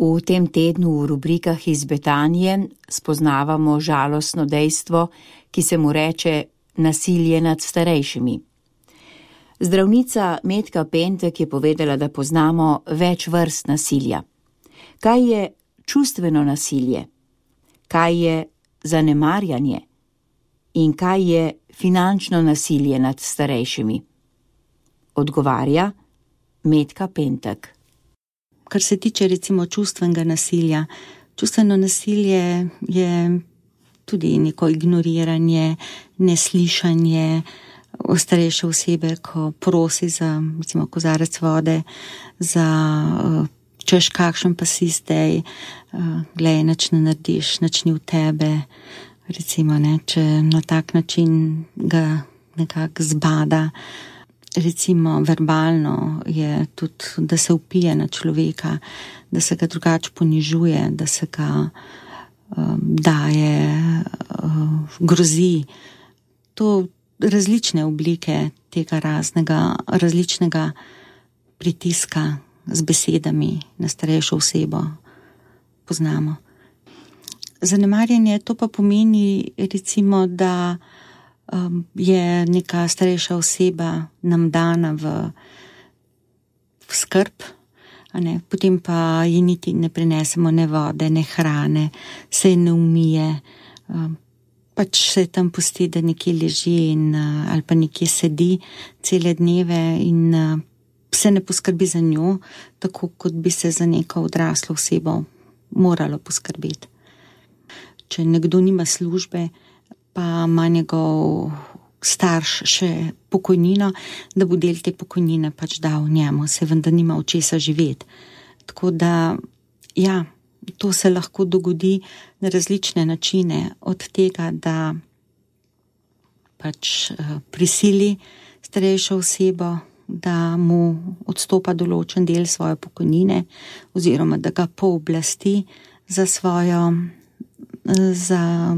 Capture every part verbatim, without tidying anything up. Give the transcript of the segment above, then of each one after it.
V tem tednu v rubrikah iz Betanije spoznavamo žalostno dejstvo, ki se mu reče nasilje nad starejšimi. Zdravnica Metka Pentek je povedala, da poznamo več vrst nasilja. Kaj je čustveno nasilje? Kaj je zanemarjanje? In kaj je finančno nasilje nad starejšimi? Odgovarja Metka Pentek. Kar se tiče recimo čustvenega nasilja, čustveno nasilje je tudi neko ignoriranje, neslišanje starejše osebe, ko prosi za recimo kozarec vode, za češ kakšen pa si zdaj, glej, nič ne narediš, nič ni v tebe, recimo, ne, če na tak način ga nekako zbada. Recimo verbalno je tudi, da se vpije na človeka, da se ga drugače ponižuje, da se ga um, daje, um, grozi. To različne oblike tega raznega, različnega pritiska z besedami na starejšo osebo poznamo. Zanemarjanje to pa pomeni recimo, da Um, je neka starejša oseba nam dana v, v skrb, a ne, potem pa ji niti ne prinesemo ne vode, ne hrane, se ne umije, um, pač se tam pusti, da nekje leži in, uh, ali pa nekje sedi cele dneve in uh, se ne poskrbi za njo, tako kot bi se za neko odraslo osebo moralo poskrbeti. Če nekdo nima službe, pa ima njegov starš še pokojnino, da bo del te pokojnine pač dal njemu, se vendar nima od česa živeti. Tako da, ja, to se lahko dogodi na različne načine, od tega, da pač prisili starejšo osebo, da mu odstopa določen del svoje pokojnine, oziroma da ga pooblasti za svojo, za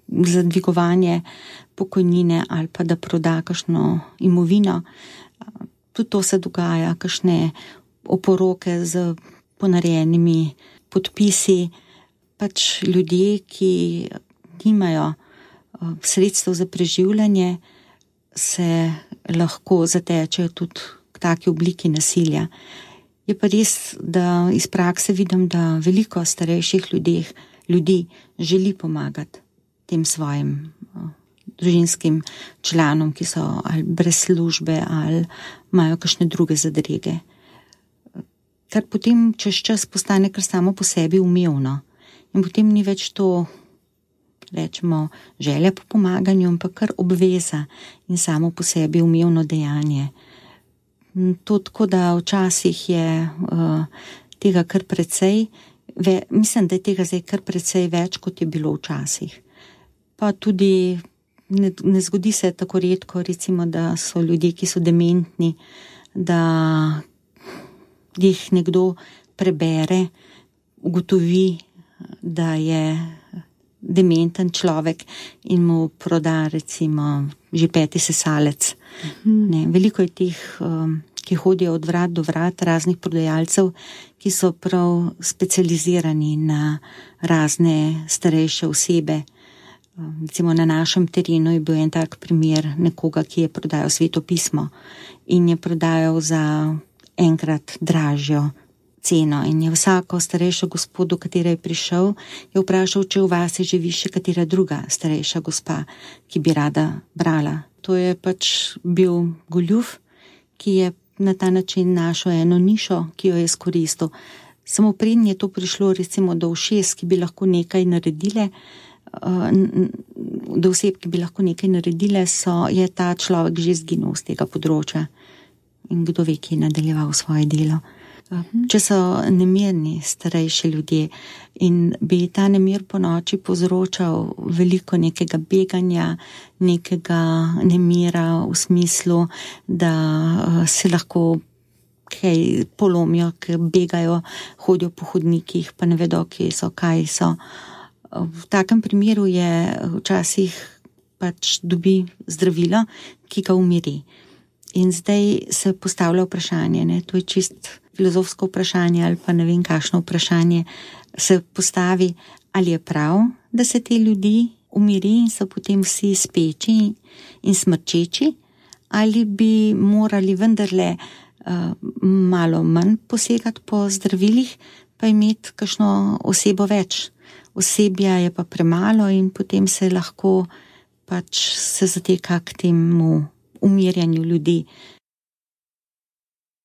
za dvigovanje pokojnine ali pa da proda kakšno imovino. Tudi to se dogaja, kakšne oporoke z ponarejenimi podpisi, pač ljudje, ki nimajo sredstev za preživljanje, se lahko zatečejo tudi k taki obliki nasilja. Je pa res, da iz prakse vidim, da veliko starejših ljudeh, ljudi želi pomagati tem svojim o, družinskim članom, ki so ali brez službe ali imajo kakšne druge zadrege. Kar potem čez čas postane kar samo po sebi umevno. In potem ni več to, rečemo, želja po pomaganju, ampak kar obveza in samo po sebi umevno dejanje. To tako, da včasih je uh, tega kar precej, ve, mislim, da je tega zdaj kar precej več, kot je bilo včasih. Pa tudi ne, ne zgodi se tako redko, recimo, da so ljudje, ki so dementni, da jih nekdo prebere, ugotovi, da je dementen človek in mu proda recimo že peti sesalec. Mhm. Ne, veliko je teh, um, ki hodijo od vrat do vrat, raznih prodajalcev, ki so prav specializirani na razne starejše osebe. Recimo na našem terenu je bil en tak primer nekoga, ki je prodajal Sveto pismo in je prodajal za enkrat dražjo ceno. In je vsako starejšo gospod, do katere je prišel, je vprašal, če v vasi živi še katera druga starejša gospa, ki bi rada brala. To je pač bil goljuf, ki je na ta način našel eno nišo, ki jo je izkoristil. Samo prednje je to prišlo recimo do ušes, ki bi lahko nekaj naredile, do oseb, ki bi lahko nekaj naredile, so, je ta človek že izginil z tega področja in kdo ve, ki je nadaljeval svoje delo. Če so nemirni starejši ljudje in bi ta nemir po noči povzročal veliko nekega beganja, nekega nemira v smislu, da se lahko kaj polomijo, ker begajo, hodijo po hodnikih, pa ne vedo, kje so, kaj so. V takem primeru je včasih pač dobi zdravilo, ki ga umiri. In zdaj se postavlja vprašanje, ne, to je čist filozofsko vprašanje ali pa ne vem kakšno vprašanje se postavi, ali je prav, da se te ljudi umiri in so potem vsi speči in smrčeči, ali bi morali vendarle uh, malo manj posegati po zdravilih, pa imeti kakšno osebo več. Osebja je pa premalo in potem se lahko pač se zateka k temu umirjanju ljudi.